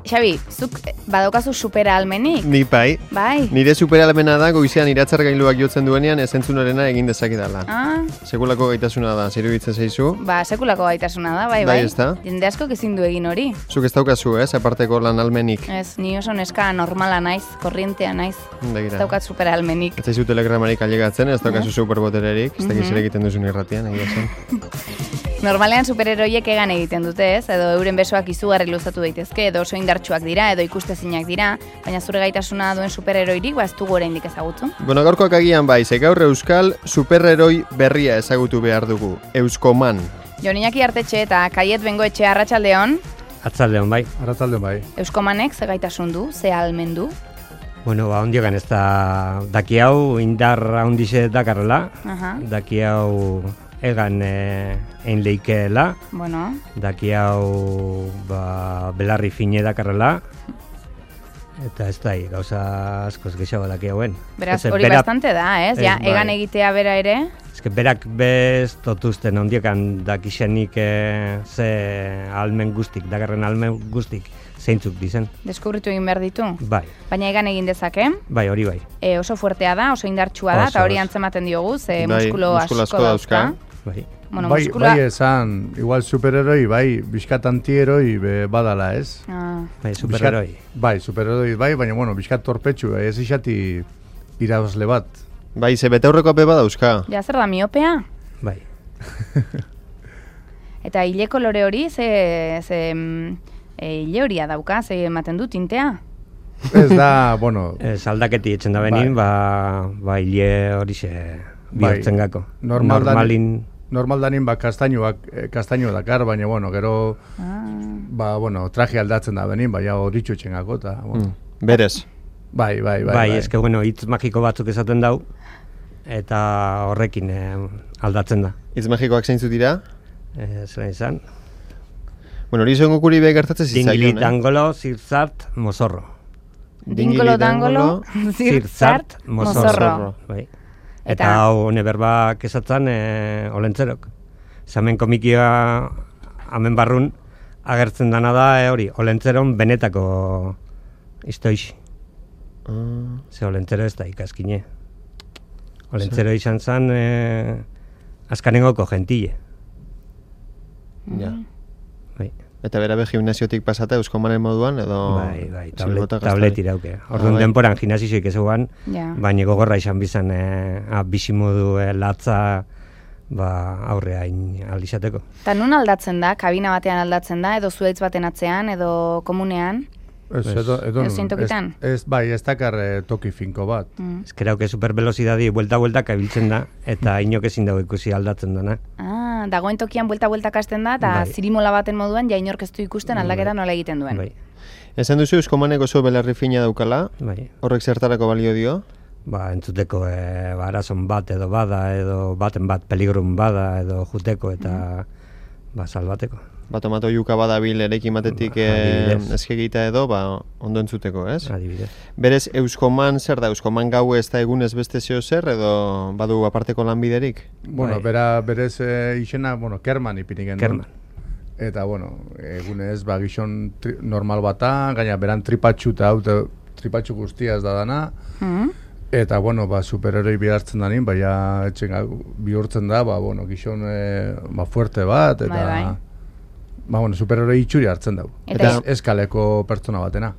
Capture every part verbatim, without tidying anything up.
Xabi, zuk badaukazu supera-almenik? Ni bai. Bai. Nire supera-almena da goizean iratzar gailuak jotzen duenean ezentzunarena egin dezakedala. Ah. Sekulako gaitasuna da, ziruditzen zaizu? Ba, sekulako gaitasuna da, bai, bai. Bai, ez da? Jende askok ezin du egin hori. Zuk ez daukazu, ez, aparteko lan almenik. Ez, ni oso neska normala naiz, korrientea naiz. Begira. Ez daukat supera-almenik. Ez zaizu telegramarik ailegatzen, ez daukazu superbotererik, ez dakiz Mhm. ere egiten duzun irratian, egia zen. Normalean superheroiek egan egiten dute, ez? Edo euren besoak izugarri luzatu daitezke, edo oso indartsuak dira, edo ikustezinak dira, baina zure gaitasuna duen superheroirik ba ez dugu oraindik ezagutu. Bueno, gaurkoak agian bai, ze gaur euskal superheroi berria ezagutu behar dugu, Euskoman. Jon Iñaki Artetxe eta Kaiet Bengoetxe Arratsaldeon, Atzaldeon bai. Arratsaldeon bai. Euskomanek ze gaitasun du, ze ahalmen du? Bueno, ba, ondiogan ez da, daki hau indar handixe dakarrela, Aha, daki hau egan e, ein leikeela, bueno, daki hau ba, belarri fine dakarrela, eta ez da, gauza askoz gehiago daki hauen. beraz Ez, hori berak- bastante da, ez? Ja, ez, bai. egan egitea bera ere, Ez que berak bez totuzten ondiokan dakixenik e, ze almen guztik, dakarren almen guztik zeintzuk dizen. deskubritu egin behar ditu. Bai, Baina egan egin dezake, bai, hori bai. e, oso fuertea da, oso indartsua da, Oso, eta hori oso. antzematen diogu, ze Bai, muskulo muskulu asko asko dauzka. dauzka. Bai. Bueno, bai, muskula... bai esan, igual superheroi, bai, bizkat antieroi be, badala, ez? Ah, Bai, superheroi. Bizkat- Bai, superheroi, bai, baina, bueno, bizkat torpetxu, ez isati irabazle bat. Bai, ze betaurreko ape badauzka. ja zer da miopea? Bai. Eta hile kolore hori, ze, ze mm, e, hile horia dauka, ze ematen du tintea? Ez da, bueno, Ez aldaketi etzen da benin, ba, ba hile hori ze bihurtzen gako. Normal da- Normalin, normal danin, ba, kastainoak, eh, kastaino dakar, baina, bueno, gero, Ah, ba, bueno, traje aldatzen da benin, baina horitxu etxengako, eta, bueno. Mm. Berez. Bai, bai, bai. bai, eske bueno, hitz magiko batzuk esaten dau, eta horrekin eh, aldatzen da. Itz magikoak zeintzu dira? Eh, Zela izan. Bueno, hori izango kuri be gertatzen zitzaion, Dingili eh? dangolo, zirzart, mozorro. Dingolo dangolo, zirzart, mozorro. Bai. Eta- Eta hau hone berbak esatzen e, olentzerok. Zamen komikia hemen barrun agertzen dana da e, hori, olentzeron benetako istoixi. Ah, Ze olentzero ez da ikaskine. Olentzero izan zen e, azkanengoko gentile. ja. Bai, Eta bera be gimnasiotik pasata Euskomanen moduan, edo... bai, bai, tablet, zilbota gaztari? tablet irauke. Orduan Ah, bai. denporan gimnasizoik ez eguan, Ja. baina gogorra izan bizan e, a, bizimodu e, latza ba, aurrea in alizateko. Eta nun aldatzen da, kabina batean aldatzen da, edo zuaitz baten atzean, edo komunean? Ez, edo, edo, Edozein tokitan? ez, ez, bai, ez dakar eh, toki finko bat. Mm. Eskerauke supervelozidadi buelta-buelta ibiltzen da, eta inok ezin dago ikusi aldatzen dana. Ah, dagoen tokian buelta-buelta kasten da, eta Bai. zirimola baten moduan, ja inork ez du ikusten aldaketa nola egiten duen. Bai, Esan duzu Euskomanek oso belarri fina daukala, bai. horrek zertarako balio dio? Ba, entzuteko e, ba, arazon bat edo bada, edo baten bat peligrun bada, edo juteko eta ba, salbateko. Ba, tomato juka badabil erekin batetik Ba, eh, adibidez. eskegita edo, ba, ondo entzuteko, ez? Adibidez. Berez, Euskoman zer da? Euskoman gau ez da egunez beste zeo zer, edo badu aparteko lanbiderik? Bueno, Bai. bera, berez eh, izena, bueno, Kerman ipini genuen. Kerman. Eta, bueno, egunez, ba, gizon tri, normal bata, gaina beran tripatxu eta hau, eta tripatxu guztia ez da dana. Mm. Eta, bueno, ba, superheroi bihartzen danin, baina etxen bihurtzen da, ba, bueno, gizon e, ba, fuerte bat, eta... Bai, bai. Ba, bueno, superheroi itxuri hartzen dau. Eta- Eta ez kaleko pertsona batena.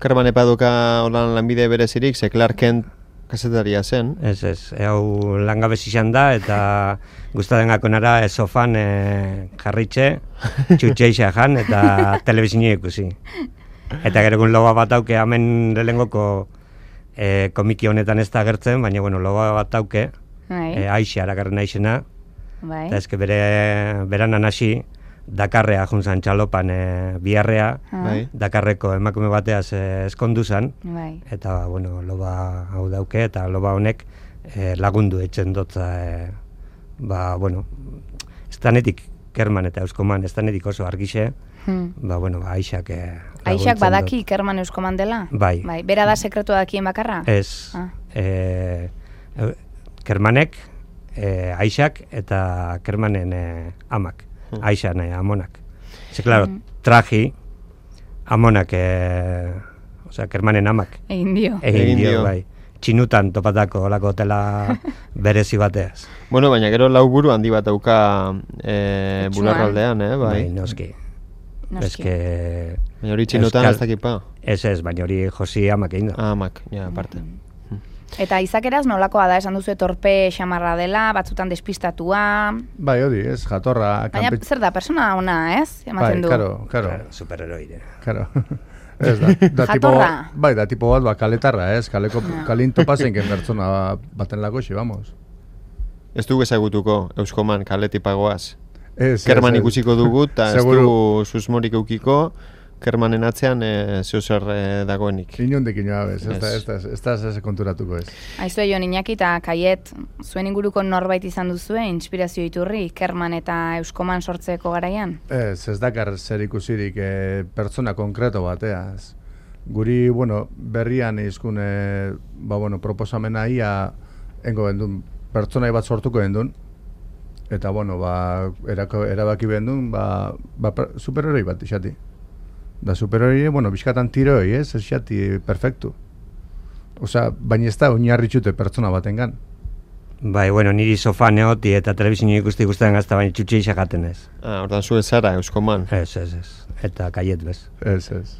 Karman epaduka holan lanbide berezirik, ze Clark Kent kasetaria zen. Ez, ez, e, hau langabez izan da, eta gustaden gakonara e, sofan e, jarritxe, txutxeixa jan, eta telebizine ikusi. Eta gero egun loba bat auke, hemen lehengoko e, komiki honetan ez da agertzen, baina bueno, loba bat auke, Bai, e, aixe arakarren aixena, bai. eta eske bere beranan hasi, Dakarrea juntzan txalopan e, biharrea, Ah, Bai. Dakarreko emakume bateaz e, eskondu zan, Bai. eta bueno, loba hau dauke, eta loba honek e, lagundu etxen dotza, e, ba, bueno, estanetik Kerman eta Euskoman, estanetik oso argixe, Hmm. ba, bueno, ba, Aixak e, Aixak laguntzen badaki Kerman Euskoman dela? Bai. Bai. Bera da sekretua dakien bakarra? dut. Ez, Ah. e, e, Kermanek, e, Aixak eta Kermanen e, amak, Aixan e, amonak. Ze, klaro, Mm. traji, amonak, e, osea, Kermanen amak. Egin dio. Egin Egin dio, dio. bai. Txinutan topatako olako hotela berezi bateaz. Bueno, baina gero lau buru handi bat dauka e, Etxuan. bularraldean, eh, bai. Bai, noski. Noski. Eske... Baina hori txinutan Euskal- ez dakipa. Ez ez, baina hori Josi amak egin da. Ah, mak, ja, aparte. Eta izakeraz nolakoa da, esan duzu torpe xamarra dela, batzutan despistatua, Bai, hori, ez, jatorra, baina kanpe- zer da, persona ona, ez? Bai, Ematen du. karo, karo, Claro, superheroide. karo. Ez da, da tipo, Jatorra. bai, da tipo bat, ba, kaletarra, ez, kaleko, kalin topazenken pertsona baten lakoxi, vamos. Ez dugu ezagutuko, Euskoman, kaletipagoaz. Ez, Kerman ez, ez. ikusiko dugu, eta ez Seguru. dugu susmorik eukiko, Kermanen atzean e, zeo zer e, dagoenik. Inondik inabez, ez da, Ez. ez da, ez da, ez da konturatuko ez. Aizue Jon Iñaki eta Kaiet, zuen inguruko norbait izan duzue, inspirazio iturri, Kerman eta Euskoman sortzeko garaian? Ez, ez dakar zer ikusirik e, pertsona konkreto bateaz. Guri, bueno, berrian izkun, e, ba, bueno, proposamena ia engo gendun, pertsonai bat sortuko gendun, eta, bueno, ba, erako, erabaki bendun, ba, ba per- superheroi bat isati. Da superheroi, bueno, bizkatan tiroi, ez, ez xati, perfectu. Osea, baina ez da oinarritxute pertsona batengan. Bai, bueno, niri sofan eoti eta telebizio ikusti guztien gazta, baina txutxe jaten ez. Ah, ordan zu ez zara, Euskoman. Ez, ez, ez. Eta Kaiet bez. Ez, ez.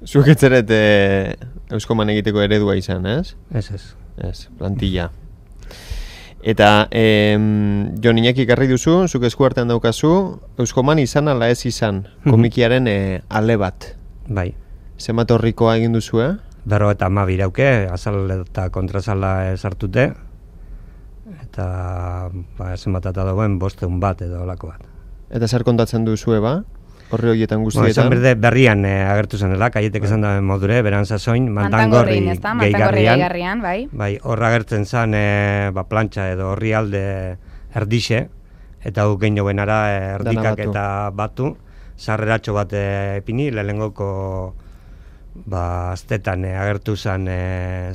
Zuek etzeret e, Euskoman egiteko eredua izan, ez? Ez, ez. Ez, plantilla. Eta em, Jon Iñaki ekarri duzu, zuk eskuartean daukazu, Euskoman izan ala ez izan, komikiaren e, ale bat. Bai. Zenbat horrikoa egin duzu, eh? Berro eta ama birauke, azal eta kontrazala sartute. Eta, ba, zenbat eta dagoen bosteun bat edo olako bat. Eta zer kontatzen duzue, ba? Horri horietan Bueno, esan guztietan. berde berrian eh, agertu zen dela, Kaietek esan da modure, beran sasoin, mantangorri Mantangorrin, ezta? Mantangorri gehigarrian. gehigarrian, bai. Bai, horra agertzen zen e, ba, plantxa edo horri alde erdixe, eta gu gehiago benara e, erdikak batu. eta batu, sarreratxo bat e, epini, lehengoko ba, aztetan e, agertu zen e,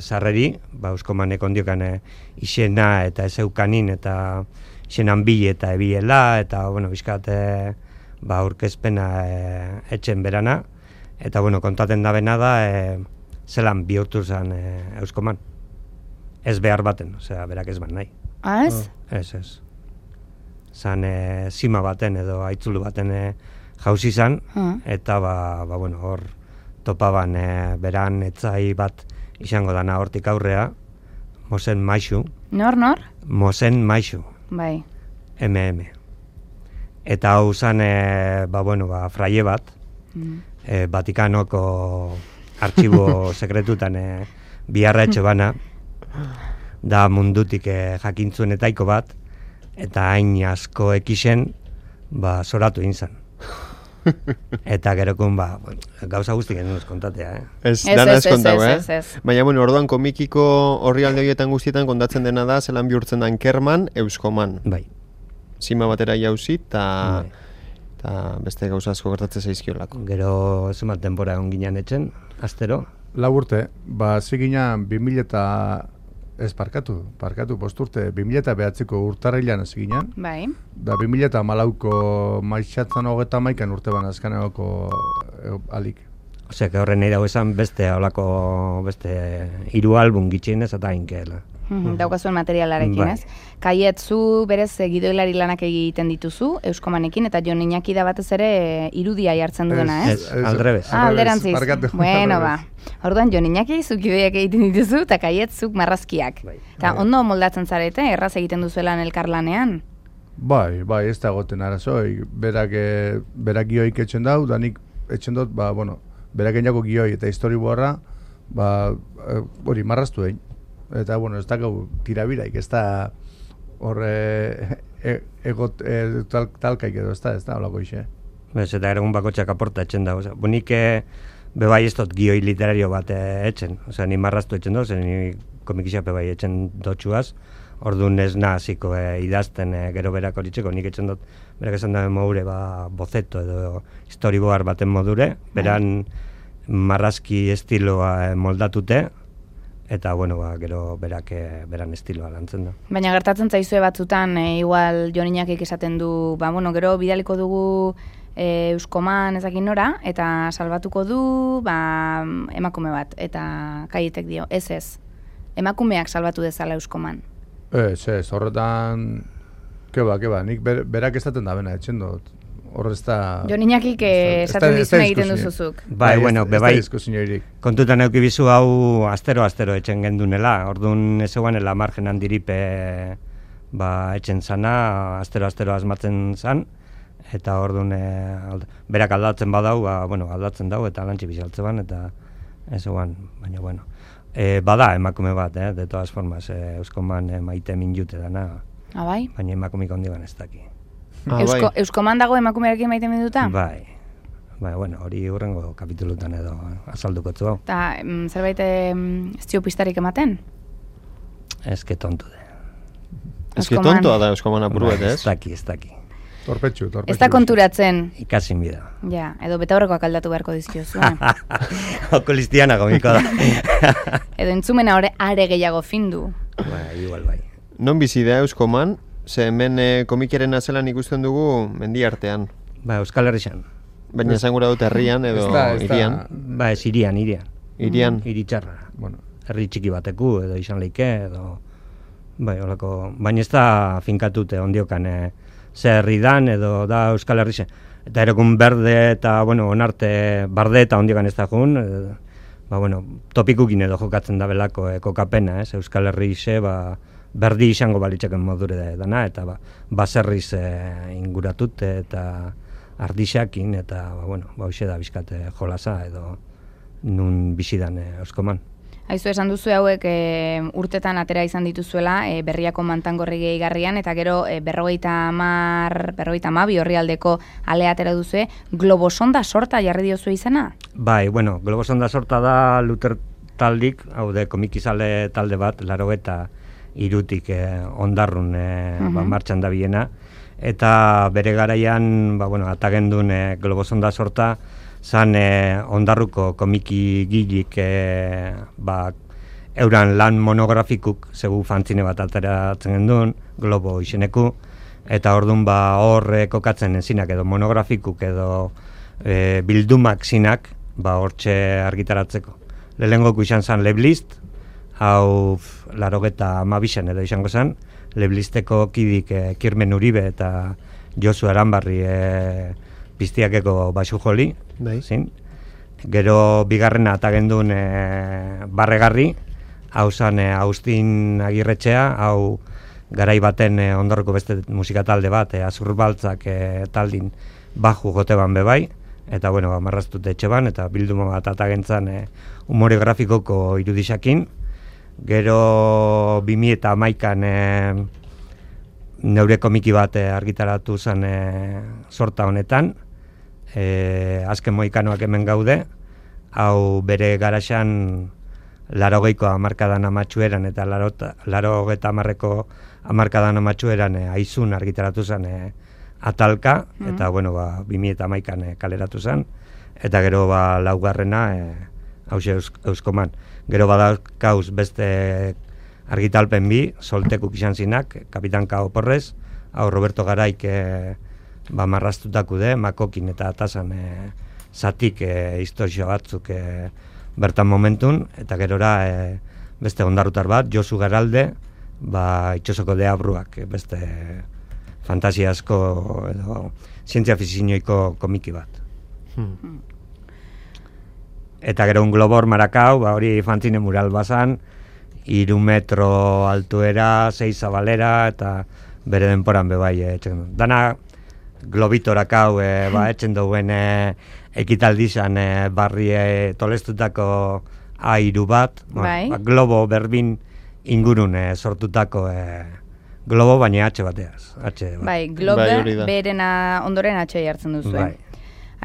sarreri, ba, Euskomanek ondiokan e, isena eta ezeukanin, eta isenan bile eta ebiela, eta, bueno, bizkat, e, ba, aurkezpena e, etxen berana, eta, bueno, kontaten da bena da, e, zelan bihurtu zen e, Euskoman. Ez behar baten, osea, berak ez ban nahi. Ah, ez? Ez, ez. Zan e, zima baten edo aitzulu baten e, jauzi zan, Ah. eta ba, ba, bueno, hor topaban e, beran etzai bat izango dana hortik aurrea, Mosen Maixu, Nor, nor? Mosen Maixu, Bai. M M. Eta hau zan, e, ba, bueno, ba, fraie bat, Mm. e, Vatikanoko artxibo sekretutan e, biharra etxe bana, da mundutik e, jakintzuen etaiko bat, eta hain asko ekisen, ba, soratu inzan. Eta gerokun, ba, bueno, gauza guztik genuen kontatea, eh? Ez, Ez, dana ez, ez kontau, ez, eh? ez, ez. Baina, bueno, orduan komikiko horri alde horietan guztietan kontatzen dena da, zelan bihurtzen dan Kerman, Euskoman. Bai. Zima batera jauzi, eta Bai. eta beste gauza asko gertatzen zaizkiolako. Gero zenbat denbora egon ginen etxen, astero. Lau urte, ba, ziginan bi mila eta ez parkatu, parkatu posturte, bi mila eta behatziko urtarrilan ziginan, Bai. da bi mila eta malauko maixatzen hogeta maikan urte ban azkanegoko e, alik. Osea, que horren nahi dago esan beste holako beste hiru album gitxienez eta inkeela. Mhm, daukazuen materialarekin, Bai. ez? Kaiet, zu berez eh, gidoilari lanak egiten dituzu, Euskomanekin, eta Jon Iñaki da batez ere eh, irudia jartzen duena, ez? Ez, aldrebez. Ah, alderantziz. Barkatu, Bueno, ba. aldrebez. Orduan, Jon Iñaki zuk idoiak egiten dituzu, eta Kaiet zuk marrazkiak. Bai. Eta ondo moldatzen zarete, erraz egiten duzuelan elkarlanean. Bai, bai, ez da goten arazoi, berak, e, berak gioik etxen dau, da nik etxen dut, ba, bueno, berak egin gioi eta storyboarda, ba, e, hori, marraztu egin. Eta, bueno, ez dakau tirabiraik, ez da horre e, egot, e, tal, talkaik edo, ez da, ez da, holako ixe. Bez, eta egun bakotxak aporta etxen da. Osea, bunik e, bebai ez dut gioi literario bat e, etxen. Osea, ni marraztu etxen dut, ni komikixape bai etxen dotxuaz. Orduan ez naziko e, idazten e, gero berak horitzeko, nik etxen dut, berak esan da modure, ba, bozeto edo storyboard baten modure, beran marrazki estiloa e, moldatute, eta, bueno, ba, gero berak e, beran estiloa lantzen da. Baina gertatzen zaizue batzutan, e, igual Jon Iñakik esaten du, ba, bueno, gero bidaliko dugu e, Euskoman ezakin nora, eta salbatuko du ba, emakume bat, eta Kaietek dio, ez ez, emakumeak salbatu dezala Euskoman. Ez, ez, horretan, keba, keba, nik ber, berak esaten da bena, etxen dut. Hor ez da... Jo niñakik esaten dizun egiten duzuzuk. Bai, bueno, bebai, bai, kontutan eukibizu hau astero-astero etxen gendunela, orduan ez eguanela margen handiripe ba, etxen zana, astero-astero asmatzen zan, eta orduan e, alda, berak aldatzen badau, ba, bueno, aldatzen dau, eta lantzi bizaltze ban, eta ez eguan, baina, bueno. E, bada emakume bat, eh, de todas formas, e, Euskoman e, maite min jute dana, ah, bai? baina emakumik ondiban ez daki. Ah, Eusko, bai. Euskoman dago emakumearekin maite minuta? Bai, bai, bueno, hori hurrengo kapitulutan edo azalduko zu hau. Eta mm, zerbait mm, ez dio pistarik ematen? Ez que tontu de. Ez que Euskoman. tontoa da Euskoman apuru bet, Ez ez? daki, ez daki. Torpetxu, torpetxu. Ez da konturatzen, Ikasin bida. ja, edo betaurrekoak aldatu beharko dizkiozu, eh? Okolistiana gomiko da. Edo entzumena ore are gehiago findu. Bai, igual bai. Non bizi da Euskoman, ze hemen e, komikiaren azelan ikusten dugu mendi artean. Ba, Euskal Herrixan. Baina esan gura dut herrian edo Ez da, ez da. irian. Ba, ez irian, irian. Irian. Iri txarra. Bueno, Herri txiki bateku edo izan leike edo... Bai, holako... Baina ez da finkatute ondiokan e, ze herri dan edo da Euskal Herrixan. Eta erekun berde eta, bueno, onarte barde eta ondiokan ez da jun. E, ba, bueno, topikukin edo jokatzen da belako e, kokapena, ez? Euskal Herrixe, ba... berdi izango balitzeken modure da, dana, eta ba, baserriz e, inguratut eta ardixakin, eta ba, bueno, ba, hoxe da bizkate jolasa edo nun bizidan e, Euskoman. Aizu esan duzu hauek e, urtetan atera izan dituzuela e, berriako mantangorri gehigarrian, eta gero e, berrogeita hamar, berrogeita hamabi orrialdeko ale atera duzue, globosonda sorta jarri diozu izena? Bai, bueno, globosonda sorta da Luter taldik, hau de komikizale talde bat, larogeta irutik eh, ondarrun eh, Uh-huh. ba, martxan da biena, eta bere garaian, ba, bueno, atagendun eh, globosonda sorta, zan eh, ondarruko komiki gilik eh, ba, euran lan monografikuk, zegu fantzine bat ateratzen gendun, globo izeneku, eta orduan ba, hor eh, kokatzen zinak edo monografikuk edo eh, bildumak zinak, ba, hortxe argitaratzeko. Lehenengoko izan zan Leblist, hau larogeta amabixen edo izango zen, Leblisteko kidik e, Kirmen Uribe eta Josu Aranbarri e, piztiakeko basu joli, Bai. zin. Gero bigarrena atagendun e, barregarri, hau zan e, Agustin Agirretxea, hau garai baten e, ondarroko beste musika talde bat, e, Azurbaltzak e, taldin baju jote ban bebai, eta bueno, marraztute etxe ban, eta bilduma bat atagentzan e, umore grafikoko irudisakin. Gero bi mila eta hamaikan e, neure komiki bat e, argitaratu zen e, sorta honetan, e, azken moikanoak hemen gaude, hau bere garaxan larogeiko hamarkadan amatxueran eta larogeta hamarreko hamarkadan amatxueran e, aizun argitaratu zen e, atalka, mm. eta bueno, ba, bi mila eta hamaikan e, kaleratu zen, eta gero ba, laugarrena e, hause eus, Euskoman. Gero badakauz beste argitalpen bi, soltekuk izan zinak, Kapitan Kao Porrez, hau Roberto Garaik e, ba, marraztutako de, makokin eta atasan e, zatik e, historia batzuk e, bertan momentun, eta gerora e, beste ondarrutar bat, Josu Garalde, ba, itxosoko deabruak, e, beste fantasiasko edo zientzia fizinoiko komiki bat. Hmm. Eta gero un globor marakau, ba, hori fanzine mural bazan, iru metro altuera, sei zabalera, eta bere denporan bebai etxen. Dana globitorakau, e, ba, etxen duen e, ekitaldizan e, barri e, tolestutako airu bat, Bai. ba, globo berbin ingurun e, sortutako e, globo, baina H bateaz. H bat. Bai, globe Bai, hori da. berena ondoren atxei hartzen duzu. Bai.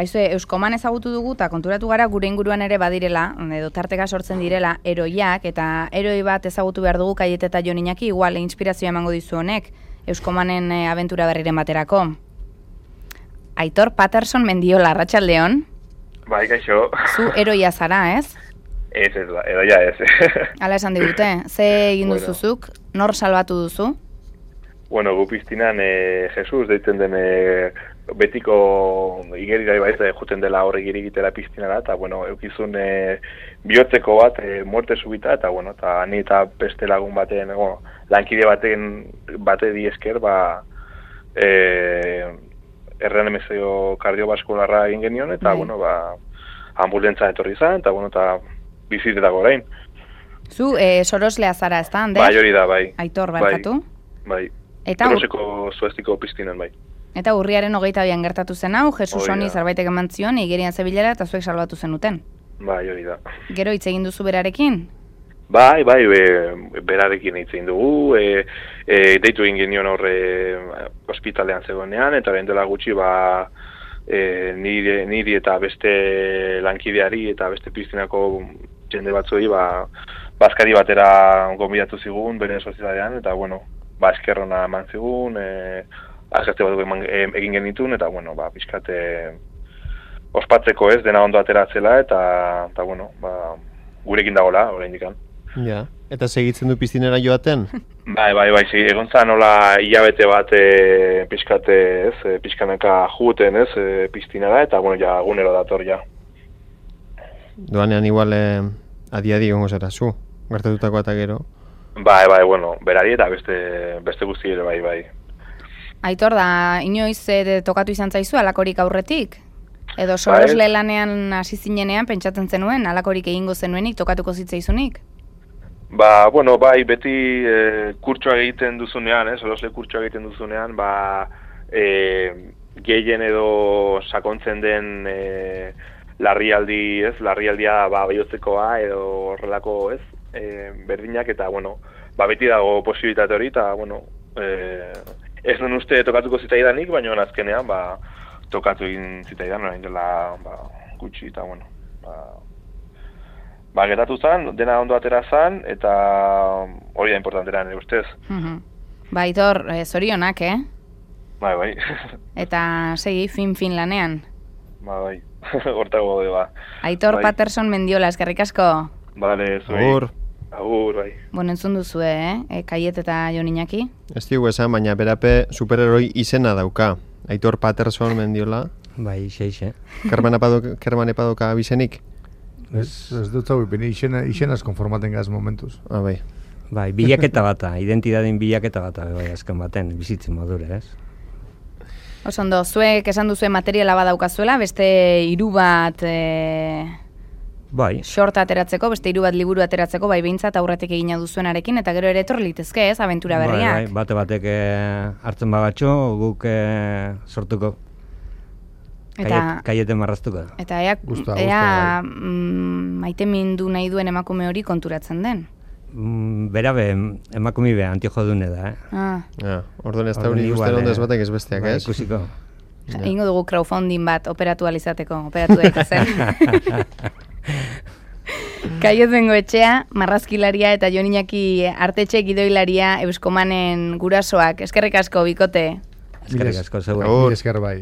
Aizue, Euskoman ezagutu dugu eta konturatu gara gure inguruan ere badirela, edo tarteka sortzen direla, eroiak, eta eroi bat ezagutu behar dugu Kaiet eta Jon Iñaki, igual inspirazioa emango dizu honek, Euskomanen e, abentura berriren baterako. Aitor Patterson Mendiola, arratsaldeon. Bai, kaixo. Zu eroia zara, ez? Ez, ez, ba, edo ja ez. Hala esan digute, ze egin Bueno. duzuzuk, nor salbatu duzu? Bueno, gu piztinan e, Jesus deitzen den e, betiko igerira bai juten dela horrek irigitera piztinara, eta, bueno, eukizun e, bihotzeko bat, e, muerte subita, eta, bueno, eta ni eta beste lagun baten, bueno, lankide baten bate di esker, ba, e, erren emezio kardiobaskularra egin genion, eta, bueno, ba, ambulentza etorri izan, eta, bueno, eta bizitetako orain. Zu, e, soroslea zara, ez da, Ander? Bai, hori da, bai. Aitor, barkatu? Bai, Eta Toloseko zuestiko piztinen, bai. Eta urriaren hogeita bian gertatu zen hau, Jesus Hori honi da. zerbaitek eman zion, igerian zebilela eta zuek salbatu zenuten. Bai, hori da. Gero hitz egin duzu berarekin? Bai, bai, be, berarekin hitz egin dugu, e, e, deitu egin genion horre ospitalean zegoenean, eta behin dela gutxi, ba, e, niri, niri eta beste lankideari eta beste piztinako jende batzuei, ba, bazkari batera gonbidatu zigun, bere sozietatean, eta, bueno, ba, eskerrona eman zigun, e, azkazte bat eman, e, egin genitun, eta, bueno, ba, pixkate ospatzeko ez, dena ondo ateratzela, eta, eta bueno, ba, gurekin dagoela, orain dikan. Ja, eta segitzen du piztinera joaten? Bai, bai, bai, sí, egon zan nola hilabete bat e, pixkate, ez, e, pixkanaka juten, ez, e, piztinara, eta, bueno, ja, gunero dator, ja. Doanean igual eh, adi-adi gongo zara zu, gertatutako eta gero. Bai, bai, bueno, berari eta beste, beste guzti ere, bai, bai. Aitor, da, inoiz e, tokatu izan zaizu alakorik aurretik? Edo sorosle lanean hasi zinenean pentsatzen zenuen, alakorik egingo zenuenik, tokatuko zitzaizunik? Ba, bueno, bai, beti e, kurtsoa egiten duzunean, eh, sorosle kurtsoa egiten duzunean, ba, e, gehien edo sakontzen den e, larrialdi, ez, larrialdia, ba, bihotzekoa edo horrelako, ez, e, berdinak, eta, bueno, ba, beti dago posibilitate hori, eta, bueno, e, ez nun uste tokatuko zitaidanik, baina azkenean, ba, tokatu egin zitaidan, orain dela, ba, gutxi, eta, bueno, ba, ba, gertatu zen, dena ondo atera zen, eta hori da importantera nire ustez. Mhm. Ba, Aitor, e, zorionak, eh? Bai, bai. Eta segi, fin-fin lanean. Ba, bai. Hortago gode, ba. Aitor Bai. Patterson Mendiola, eskerrik asko. Bale, zuei. Agur, Agur, bai. Bueno, entzun duzue, eh? E, Kaiet eta Jon Iñaki. ez digu esan, baina berape superheroi izena dauka. Aitor Patterson Mendiola. Bai, xeixe. Kerman apado- Kerman epadoka abizenik? Ez, ez dut zau, bine izena, izenaz konformaten gaz momentuz. Ah, bai. Bai, bilaketa bata, identidaden bilaketa bata, bai, azken baten, bizitzen modure, ez? Oso ondo, zuek esan duzue materiala badaukazuela, beste hiru bat e, Bai, short ateratzeko, beste hiru bat liburu ateratzeko, bai behintzat aurretik egina duzuenarekin, eta gero ere etor litezke, ez, abentura bai, berriak. bai, bate batek eh, hartzen bagatxo, guk eh, sortuko. Eta, Kaiet, kaieten marraztuko. eta ea, Gusta, ea gusta, mm, maite mindu nahi duen emakume hori konturatzen den. Mm, berabe, emakumi be, antiojo dune da, eh? Ah, Ja, orduan ez da Orduan hori igual, ikusten ondez eh, batek ez besteak, bai, ez? Ikusiko. egingo dugu crowdfunding bat operatu alizateko, operatu daitezen. Kaiet Bengoetxea, marrazkilaria eta Jon Iñaki artetxe gidoilaria Euskomanen gurasoak. Eskerrik asko, bikote. Eskerrik asko, zeu. Agur. Esker bai.